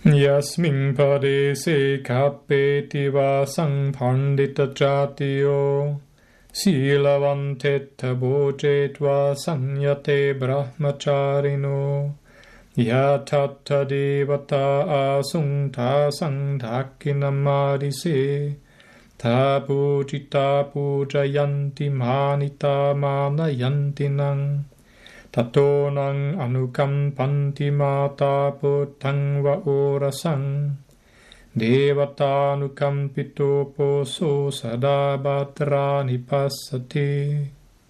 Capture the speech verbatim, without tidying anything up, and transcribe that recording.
Yasmiṃ padese gabbhe divā saṃ paṇḍitajātiyo sīlavantettha bhojetvā saññate brahmacārino. Yathatha devatā āsuṃ tāsaṃ dakkhiṇamādise, tā pūjitā pūjayanti mānitā mānayanti naṃ. Tato naṃ anukampanti mātā puttaṃ va orasaṃ, devatānukampito poso sadā bhaddāni passati.